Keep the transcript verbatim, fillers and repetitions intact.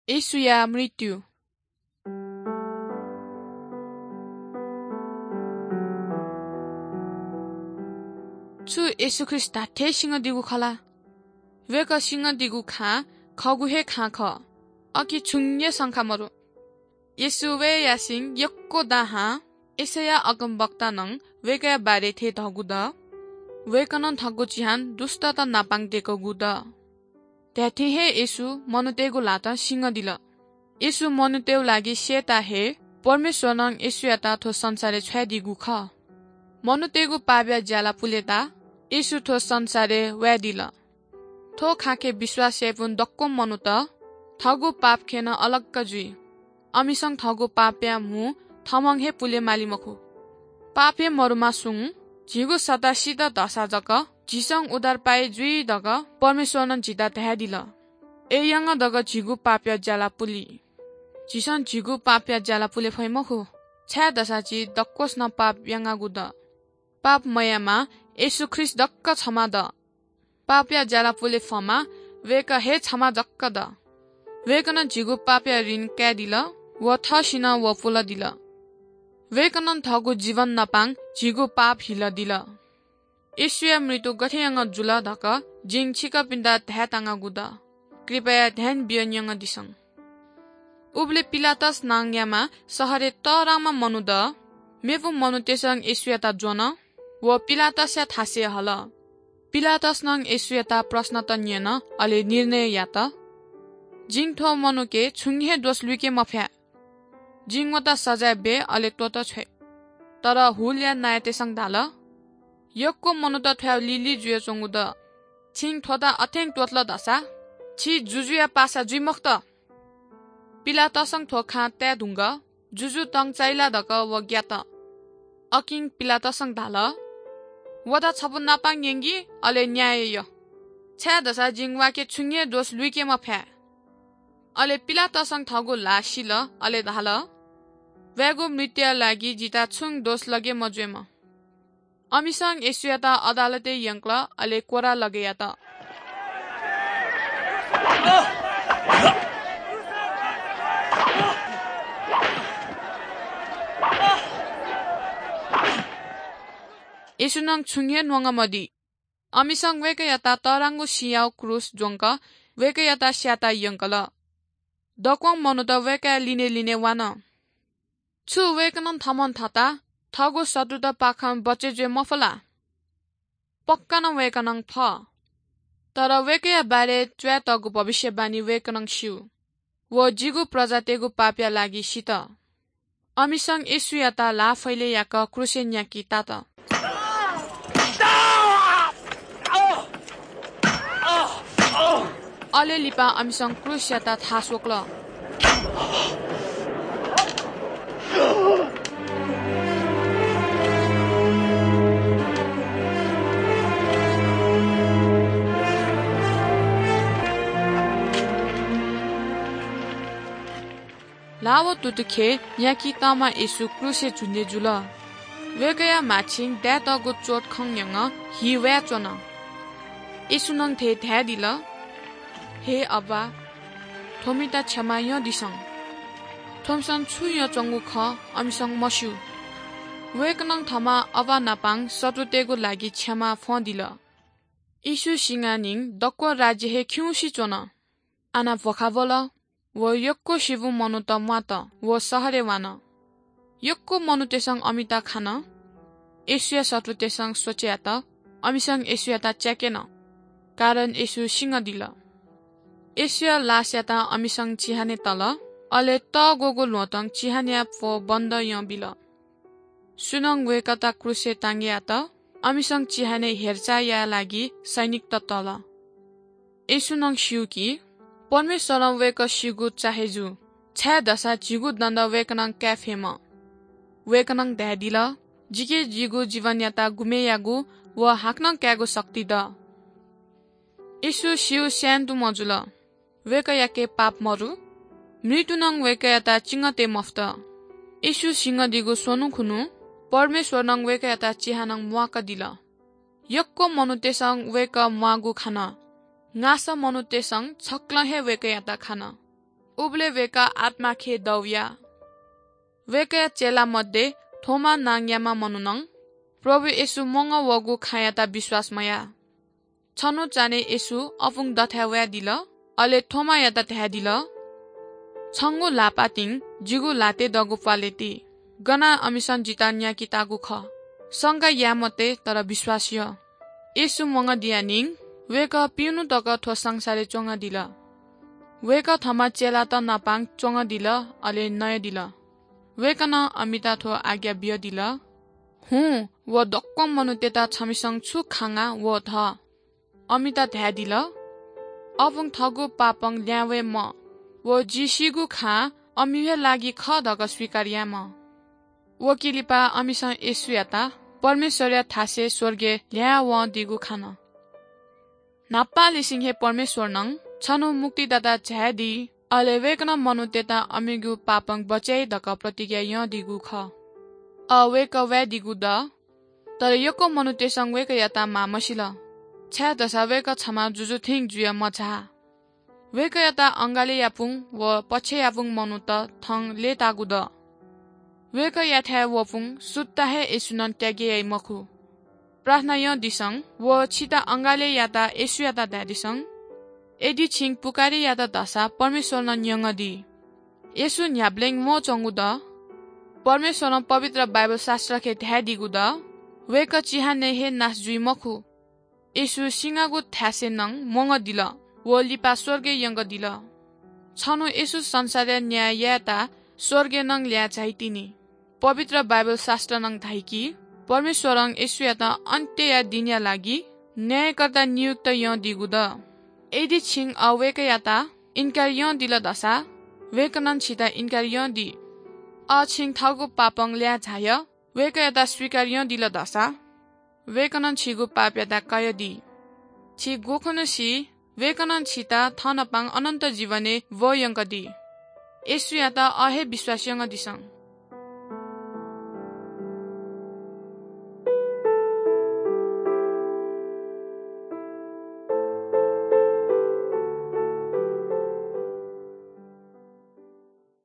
येशूया मृत्यु। छु येशू ख्रीष्ट धात्थें सिंहदीगु खः ला? वय्कः सिंहदीगु खां खःगु हे खां खः, अकिं छुं हे शंका मदु। येशू वये यासें यक्व दां हां यशैया अगमवक्तां नं वय्कःया बारे थें धःगु दु। वय्कलं थःगु चिहान दुष्टत नापां दय्कूगु दु। धात्थें हे येशू मनूतय्गु ल्हातं सिंहदिल। येशू मनूतय्गु लागि स्ययेत हे परमेश्वरं येशूयात थ्व संसारय् छ्वयादीगु खः। मनूतय्गु पापया ज्याला पुलेत येशू थ्व संसारय् वयादिल। थ्व खाँखे विश्वास याइपिं दक्व मनूत थःगु पाप खँय् नं अलग जुइ। अमिसं थःगु पापया म्हुं थःम्हं हे पुले माली मखु। पाप हे मदुम्हसुं झीगु सत्ता सित धाःसा जक झीसं उद्धार पाइ जुइ धकाः परमेश्वरं झीत धयादिल। अय्‌यां जक झीगु पापया ज्याला पुली। झीसं झीगु पापया ज्याला पुले फइ मखु, छाय्‌धाःसा झी दक्वसिनं पाप यानागु दु। पाप मयाःम्ह येशू ख्रीष्ट जक छम्ह दु। पापया ज्याला पुले फुम्ह वय्कः हे छम्ह जक दु। वय्कलं झीगु पापया ऋण कायेदिल व थःसिनं व पुलादिल। वय्कलं थःगु जीवन नापां झीगु पाप हिलादिल। येशूया मृत्यु गथे यानाः जुल धकाः जिं छिकपिन्त धायेत्यनागु दु। कृपया ध्यान बियाः न्यनादिसँ। उबलय् पिलातस नांयाम्ह शहरय् तःधंम्ह मनू दु। मेपिं मनूतय्सं येशूयात ज्वन व पिलातसया थासय् हल। पिलातसं येशूयात प्रश्नत न्यन, अले निर्णय यात, जिं थ्व मनूके छुं हे दोष लुइके मफयाः। जिं वयात सजाँय बये, अले त्वःता छ्वये। तर हुलया नायःतय्सं धाल, यक्व मनूत थ्वयाः लिलि जुयाच्वंगु दु। छिं थ्वयात अथें त्वःतल धाःसा छि जुजुया पासा जुइ मखुत। पिलातसं थ्व खँ ताये धुंकाः जुजु तं चाइ ला धकाः व ग्यात। अकिं पिलातसं धाल, वयात छपु नापां न्यंकि, अले न्याय या, छाय्‌धाःसा जिं वयाके छुं हे दोष लुइके मफयाः। अले पिलातसं थःगु ल्हाः सिल, अले धाल, वयागु मृत्युया लागि जितः छुं दोष लगे मजुइमा। अमिसं येशूयात अदालतय् यंकल, अले कोर्रां लगे यात। येशूं छुं हे न्वंगः मदी। अमिसं वय्कःयात तःधंगु सिँयागु क्रूस ज्वंक वय्कःयात स्यायेत यंकल। दक्वं मनूत वय्कःया लिने लिने वान। छु वय्कलं थःम्हं थःत थःगु शत्रुतपाखें बचय् जुये मफु ला? पक्का नं वय्कलं फः। तर वय्कःया बारे च्वयातःगु भविष्यवाणी वय्कलं स्यू। व जिगु प्रजातय्गु पापया लागि सित। अमिसं येशूयात ल्हाः फैले याक क्रूसय् न्याकी तात। अले लिपा अमिसं क्रूसयात थाः स्वकल। ल्हाः व तुतुखे न्याकी तःम्ह येशू क्रूसय् झुन्‍ने जुल। वय्कःया म्‍हाछिं दाय्‌तःगु चोट खँ न्‍यंक हि वयाच्‍वन। येशूं थथे धयादिल, हे अब्‍बा, थ्‍वमित क्षमा यंदिसँ। थ्‍वमिसं छु यानाच्‍वंगु खः अमिसं मस्‍यू। वय्कलं थःम्‍ह अब्‍बा नाप शत्रुतय्‌गु लागि क्षमा फ्‍वंदिल। येशू सिनानिं दक्‍व राज्‍य हे खिउँसे च्‍वन। आः भ्‍वखाबल व यक्‍व स्‍यूम्‍ह मनूत म्‍वात व शहरय् वान। यक्‍व मनूतय्‌सं अमित खान। येशूया शत्रुतय्‌सं स्वचे यात, अमिसं येशूयात च्याक्‍यन, कारण येशू सिनादिल। येशूया लासयात अमिसं चिहानय् तल, अले तःग्‍वःगु ल्‍वहँतं चिहानया प्‍वः बन्‍द यंबिल। सुनानं वय्‌कःयात क्रूसय् टाँगय् यात, अमिसं चिहानय् हेरचाह यायेया लागि सैनिकत तल। येशूं स्‍यू कि परमेश्‍वरं वय्‌कः सीगु चाहे जू, छाय्‌धाःसा झीगु दण्‍ड वय्‌कलं काये फयेमा। वय्‌कलं धयादिल, जिके जिगु जीवनयात गुमय् यायेगु व हाकनं कायेगु शक्ति दु। येशू स्‍यू स्‍यायेत मजुल। वय्‌कःयाके पाप मदु। मृत्‍युं वय्‌कःयात चिनातये मफुत। येशू सिनादीगु स्वन्‍हु खुन्‍हु परमेश्‍वरं वय्‌कःयात चिहानं म्‍वाकादिल। यक्‍व मनूतय्‌सं वय्‌कः म्‍वाःगु खान। नासः मनूतय्‌सं छकलं हे वय्‌कःयात खान। उबलय् वय्कः आत्माखे दौया। वय्कःया चेला मध्ये थोमा नांज्ञाःम्ह मनुनं प्रभु येशू म्वंगः वःगु खँयात विश्वास मयाः। छन्हु चान्हय् येशू अपुं दथाय् वयादिल, अले थोमायात धयादिल, "छंगु ल्हाःपातिं जिगु ल्हातय् दःगु प्वालय् ति, गनाः अमिसं जितः न्याकेताःगु खः। शंका याये मते, तर विश्वास यः।" येशू म्वंगदिया निं वय्कः पिउन्हु तक थ्व संसारय् च्वंगदिल। वय्कः थःम्ह चेलात नापां च्वंगदिल, अले नयादिल। वय्कलं अमित थ्व आज्ञा बियादिल, "हुँ, व दक्वं मनूतय्त छमिसं छु खांगा व ध।" अमित धयादिल, "अपुं थःगु पापं ल्याहां वये म्वाः, व जि सीगु खँ अमिगु हे लागि खः धकाः स्वीकार यायेमाः।" व के लिपा अमिसं येशूयात परमेश्वरया थासय् स्वर्गय् ल्हाये वंदीगु खन। न्हापांनिसें हे परमेश्वरनं छन्हु मुक्तिदाता झायादी, अले वय्कलं मनूतय्त अमिगु पापं बचय् याइ धकाः प्रतिज्ञा यानादीगु खः। अ, वय्कः वयादीगु दु, तर यक्व मनूतय्सं वय्कःयात माः मसिल, छाय्धाःसा वय्कः छम्ह जुजु थें जुयाः मझाः। वय्कःयात अंगालय्यापुं व पक्षय्यापुं मनूत थन लय्ताःगु दु। वय्कःयाथाय् वःपुं सुद्धा हे येशूनं त्यागे याइ मखु। प्रार्थना यानादिसँ व छित अंगालय् याःसा येशूयात धायेदिसँ, यदि छिं पुकारे यात धाःसा परमेश्वरनं न्यंगदी। येशू न्ह्याबलें म्वःच्वंगु दु। परमेश्वरं पवित्र बाइबल शास्त्रखे धयादीगु दु, "वय्कः चिहानय् हे नाश जुइ मखु।" येशू सिंगाःगु थासय् नं म्वंगदिल व लिपा स्वर्गय् यंगदिल। छन्हु येशू संसारया न्याय यायेत स्वर्गय् नं ल्हाये झाइतिनि। पवित्र बाइबल शास्त्रं नं धाइ कि परमेश्वरं येशूयात अन्त्यया दिनया लागि न्यायकर्ता नियुक्त यानादीगु दु। यदि छिं अ वय्कःयात इन्कार यानादिल धाःसा वय्कलं छित इन्कार यानादी। अ छिं थःगु पापं ल्हाये झायाः वय्कःयात स्वीकार यानादिल धाःसा वय्कलं छिगु पापयात कयादी। छि गुखुन्हु सी, वय्कलं छित थःनापं अनन्त जीवनय् ब्वयंकदी। येशूयात अ हे विश्वास यानादिसँ।